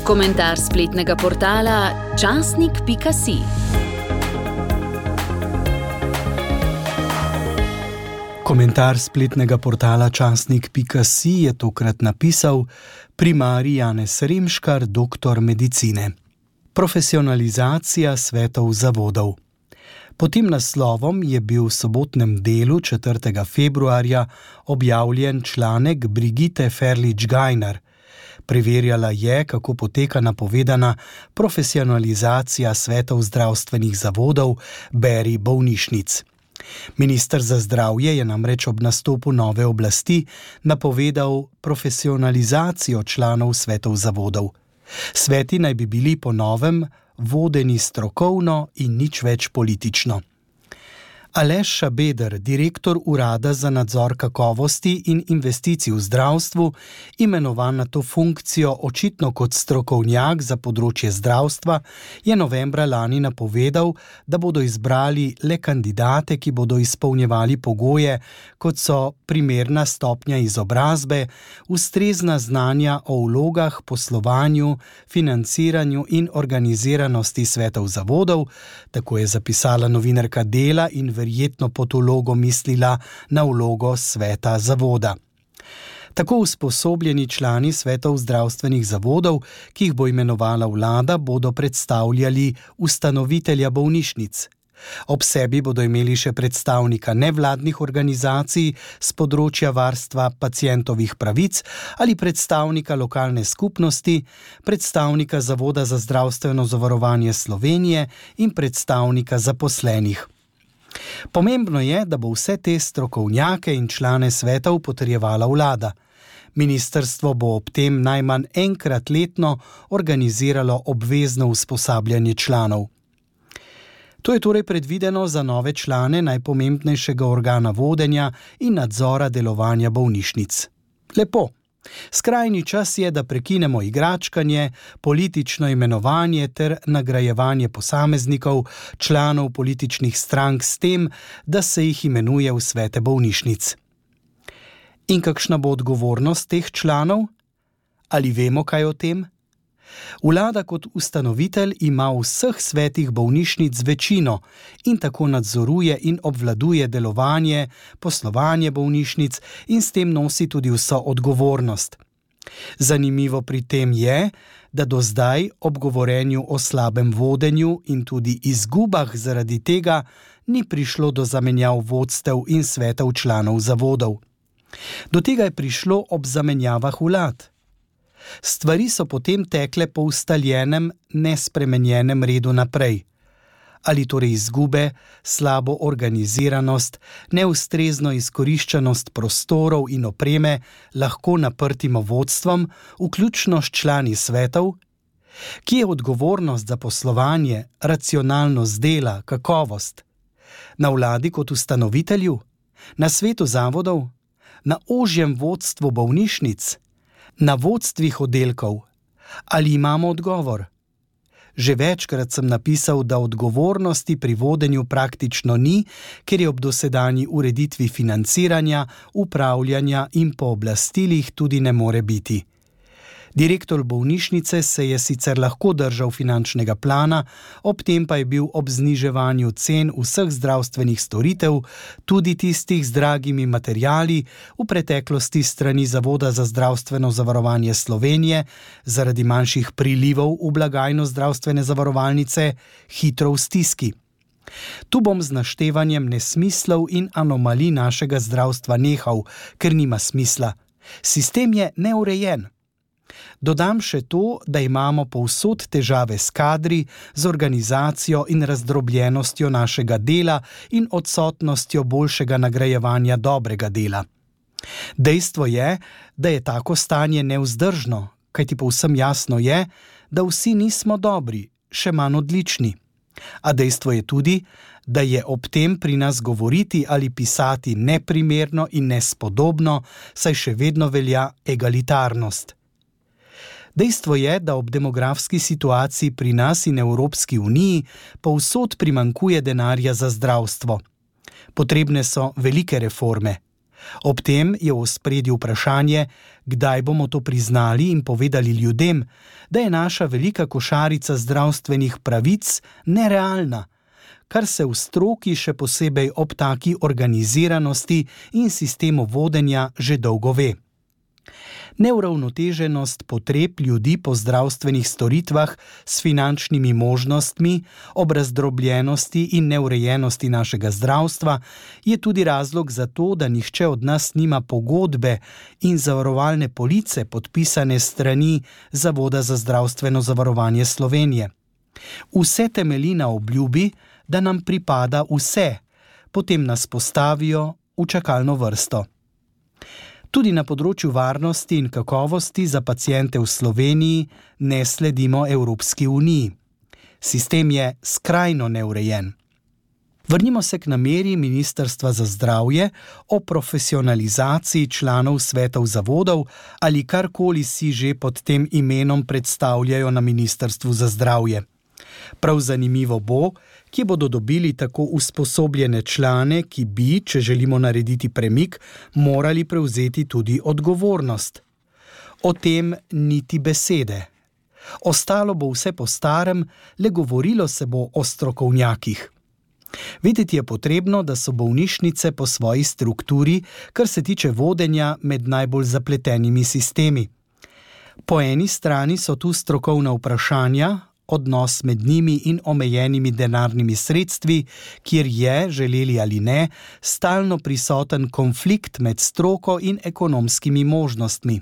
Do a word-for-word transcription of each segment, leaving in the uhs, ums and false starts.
Komentar spletnega portala časnik pika si. Komentar spletnega portala časnik pika si je tokrat napisal primarij Janez Remškar, doktor medicine. Profesionalizacija svetov zavodov. Pod tem naslovom je bil v sobotnem delu četrtega februarja objavljen članek Brigitte Ferlič-Gajnar. Preverjala je, kako poteka napovedana profesionalizacija svetov zdravstvenih zavodov, beri bolnišnic. Minister za zdravje je namreč ob nastopu nove oblasti napovedal profesionalizacijo članov svetov zavodov. Sveti naj bi bili po novem vodeni strokovno in nič več politično. Aleš Šabeder, direktor Urada za nadzor kakovosti in investicij v zdravstvu, imenovan na to funkcijo očitno kot strokovnjak za področje zdravstva, je novembra lani napovedal, da bodo izbrali le kandidate, ki bodo izpolnjevali pogoje, kot so primerna stopnja izobrazbe, ustrezna znanja o vlogah, poslovanju, financiranju in organiziranosti svetov zavodov, tako je zapisala novinarka Dela in verjetno pod vlogo mislila na vlogo sveta zavoda. Tako usposobljeni člani svetov zdravstvenih zavodov, ki jih bo imenovala vlada, bodo predstavljali ustanovitelja bolnišnic. Ob sebi bodo imeli še predstavnika nevladnih organizacij z področja varstva pacientovih pravic ali predstavnika lokalne skupnosti, predstavnika Zavoda za zdravstveno zavarovanje Slovenije in predstavnika zaposlenih. Pomembno je, da bo vse te strokovnjake in člane svetov potrjevala vlada. Ministrstvo bo ob tem najmanj enkrat letno organiziralo obvezno usposabljanje članov. To je torej predvideno za nove člane najpomembnejšega organa vodenja in nadzora delovanja bolnišnic. Lepo. Skrajni čas je, da prekinemo igračkanje, politično imenovanje ter nagrajevanje posameznikov, članov političnih strank s tem, da se jih imenuje v svete bolnišnic. In kakšna bo odgovornost teh članov? Ali vemo kaj o tem? Vlada kot ustanovitelj ima v vseh svetih bolnišnic večino in tako nadzoruje in obvladuje delovanje, poslovanje bolnišnic in s tem nosi tudi vso odgovornost. Zanimivo pri tem je, da do zdaj ob govorjenju o slabem vodenju in tudi izgubah zaradi tega ni prišlo do zamenjav vodstev in svetov članov zavodov. Do tega je prišlo ob zamenjavah vlad. Stvari so potem tekle po ustaljenem, nespremenjenem redu naprej. Ali torej izgube, slabo organiziranost, neustrezno izkoriščenost prostorov in opreme lahko naprtimo vodstvom, vključno s člani svetov? Kje je odgovornost za poslovanje, racionalnost dela, kakovost? Na vladi kot ustanovitelju? Na svetu zavodov? Na ožjem vodstvu bolnišnic? Na vodstvih oddelkov? Ali imamo odgovor? Že večkrat sem napisal, da odgovornosti pri vodenju praktično ni, ker je ob dosedanji ureditvi financiranja, upravljanja in pooblastilih tudi ne more biti. Direktor bolnišnice se je sicer lahko držal finančnega plana, ob tem pa je bil ob zniževanju cen vseh zdravstvenih storitev, tudi tistih z dragimi materiali, v preteklosti strani Zavoda za zdravstveno zavarovanje Slovenije, zaradi manjših prilivov v blagajno zdravstvene zavarovalnice, hitro v stiski. Tu bom z naštevanjem nesmislov in anomalij našega zdravstva nehal, ker nima smisla. Sistem je neurejen. Dodam še to, da imamo povsod težave s kadri, z organizacijo in razdrobljenostjo našega dela in odsotnostjo boljšega nagrajevanja dobrega dela. Dejstvo je, da je tako stanje nevzdržno, kajti povsem jasno je, da vsi nismo dobri, še manj odlični. A dejstvo je tudi, da je ob tem pri nas govoriti ali pisati neprimerno in nespodobno, saj še vedno velja egalitarnost. Dejstvo je, da ob demografski situaciji pri nas in Evropski uniji povsod primanjkuje denarja za zdravstvo. Potrebne so velike reforme. Ob tem je v ospredju vprašanje, kdaj bomo to priznali in povedali ljudem, da je naša velika košarica zdravstvenih pravic nerealna, kar se v stroki še posebej ob taki organiziranosti in sistemu vodenja že dolgo ve. Neuravnoteženost potreb ljudi po zdravstvenih storitvah s finančnimi možnostmi, ob razdrobljenosti in neurejenosti našega zdravstva je tudi razlog za to, da nihče od nas nima pogodbe in zavarovalne police podpisane strani Zavoda za zdravstveno zavarovanje Slovenije. Vse temelji na obljubi, da nam pripada vse, potem nas postavijo v čakalno vrsto. Tudi na področju varnosti in kakovosti za paciente v Sloveniji ne sledimo Evropski uniji. Sistem je skrajno neurejen. Vrnimo se k nameri Ministrstva za zdravje o profesionalizaciji članov svetov zavodov ali karkoli si že pod tem imenom predstavljajo na Ministrstvu za zdravje. Prav zanimivo bo, kje bodo dobili tako usposobljene člane, ki bi, če želimo narediti premik, morali prevzeti tudi odgovornost. O tem niti besede. Ostalo bo vse po starem, le govorilo se bo o strokovnjakih. Vedeti je potrebno, da so bolnišnice po svoji strukturi, kar se tiče vodenja, med najbolj zapletenimi sistemi. Po eni strani so tu strokovna vprašanja, odnos med njimi in omejenimi denarnimi sredstvi, kjer je, želeli ali ne, stalno prisoten konflikt med stroko in ekonomskimi možnostmi.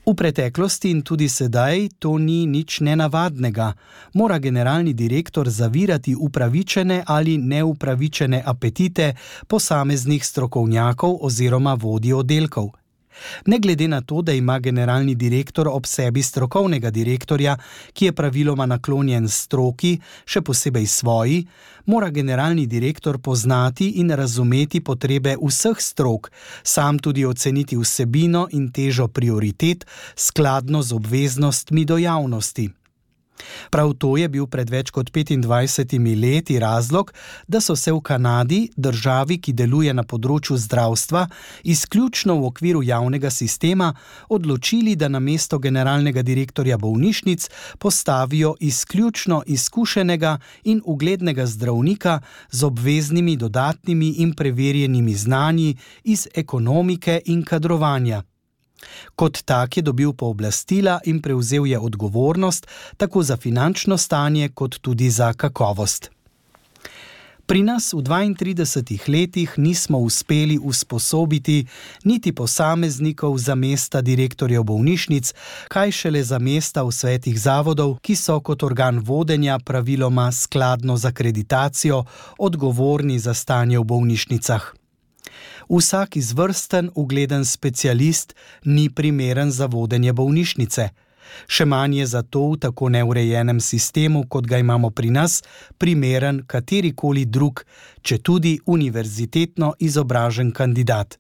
V preteklosti in tudi sedaj to ni nič nenavadnega. Mora generalni direktor zavirati upravičene ali neupravičene apetite posameznih strokovnjakov oziroma vodij oddelkov. Ne glede na to, da ima generalni direktor ob sebi strokovnega direktorja, ki je praviloma naklonjen stroki, še posebej svoji, mora generalni direktor poznati in razumeti potrebe vseh strok, sam tudi oceniti vsebino in težo prioritet skladno z obveznostmi do javnosti. Prav to je bil pred več kot petindvajsetimi leti razlog, da so se v Kanadi, državi, ki deluje na področju zdravstva, izključno v okviru javnega sistema, odločili, da namesto generalnega direktorja bolnišnic postavijo izključno izkušenega in uglednega zdravnika z obveznimi dodatnimi in preverjenimi znanji iz ekonomike in kadrovanja. Kot tak je dobil pooblastila in prevzel je odgovornost tako za finančno stanje kot tudi za kakovost. Pri nas v dvaintridesetih letih nismo uspeli usposobiti niti posameznikov za mesta direktorjev bolnišnic, kaj šele za mesta v svetih zavodov, ki so kot organ vodenja praviloma skladno z akreditacijo odgovorni za stanje v bolnišnicah. Vsak izvrsten, ugleden specialist ni primeren za vodenje bolnišnice. Še manj je zato v tako neurejenem sistemu, kot ga imamo pri nas, primeren katerikoli drug, četudi univerzitetno izobražen kandidat.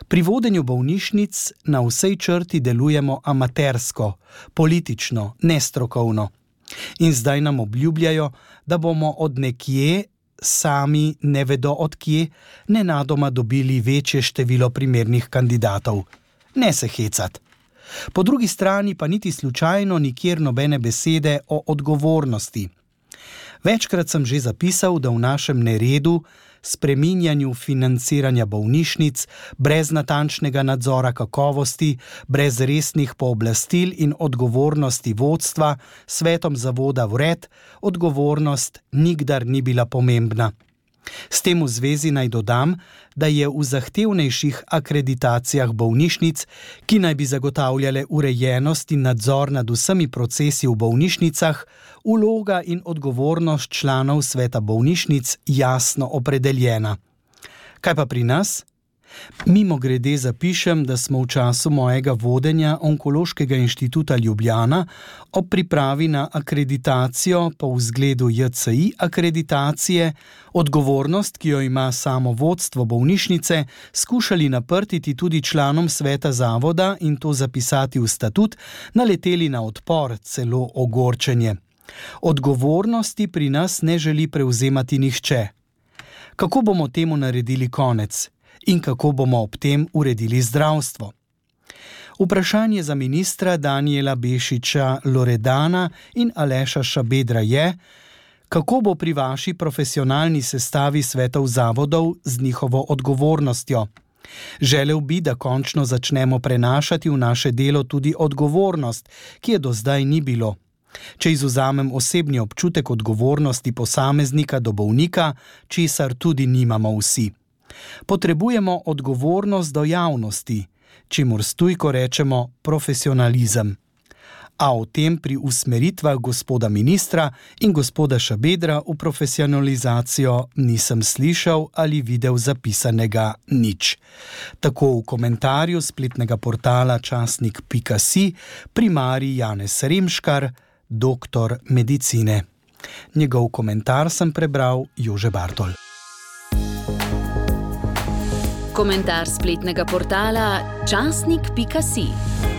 Pri vodenju bolnišnic na vsej črti delujemo amatersko, politično, nestrokovno. In zdaj nam obljubljajo, da bomo od nekje, sami ne vedo od kje, nenadoma dobili večje število primernih kandidatov. Ne se hecat. Po drugi strani pa niti slučajno nikjer nobene besede o odgovornosti. Večkrat sem že zapisal, da v našem neredu, spreminjanju financiranja bolnišnic, brez natančnega nadzora kakovosti, brez resnih pooblastil in odgovornosti vodstva, svetom zavoda vred, odgovornost nikdar ni bila pomembna. S tem v zvezi naj dodam, da je v zahtevnejših akreditacijah bolnišnic, ki naj bi zagotavljale urejenost in nadzor nad vsemi procesi v bolnišnicah, vloga in odgovornost članov sveta bolnišnic jasno opredeljena. Kaj pa pri nas? Mimogrede zapišem, da smo v času mojega vodenja Onkološkega inštituta Ljubljana ob pripravi na akreditacijo po vzgledu J C I akreditacije odgovornost, ki jo ima samo vodstvo bolnišnice, skušali naprtiti tudi članom sveta zavoda in to zapisati v statut, naleteli na odpor, celo ogorčenje. Odgovornosti pri nas ne želi prevzemati nihče. Kako bomo temu naredili konec? in kako bomo ob tem uredili zdravstvo. Vprašanje za ministra Danijela Bešiča Loredana in Aleša Šabedra je, kako bo pri vaši profesionalni sestavi svetov zavodov z njihovo odgovornostjo. Želel bi, da končno začnemo prenašati v naše delo tudi odgovornost, ki je do zdaj ni bilo. Če izvzamem osebni občutek odgovornosti posameznika do bolnika, česar tudi nimamo vsi. Potrebujemo odgovornost do javnosti, čemur stujko rečemo profesionalizem. A o tem pri usmeritvah gospoda ministra in gospoda Šabedra v profesionalizacijo nisem slišal ali videl zapisanega nič. Tako v komentarju spletnega portala časnik pika si primarij Janez Remškar, doktor medicine. Njegov komentar sem prebral Jože Bartol. Komentar spletnega portala časnik pika si.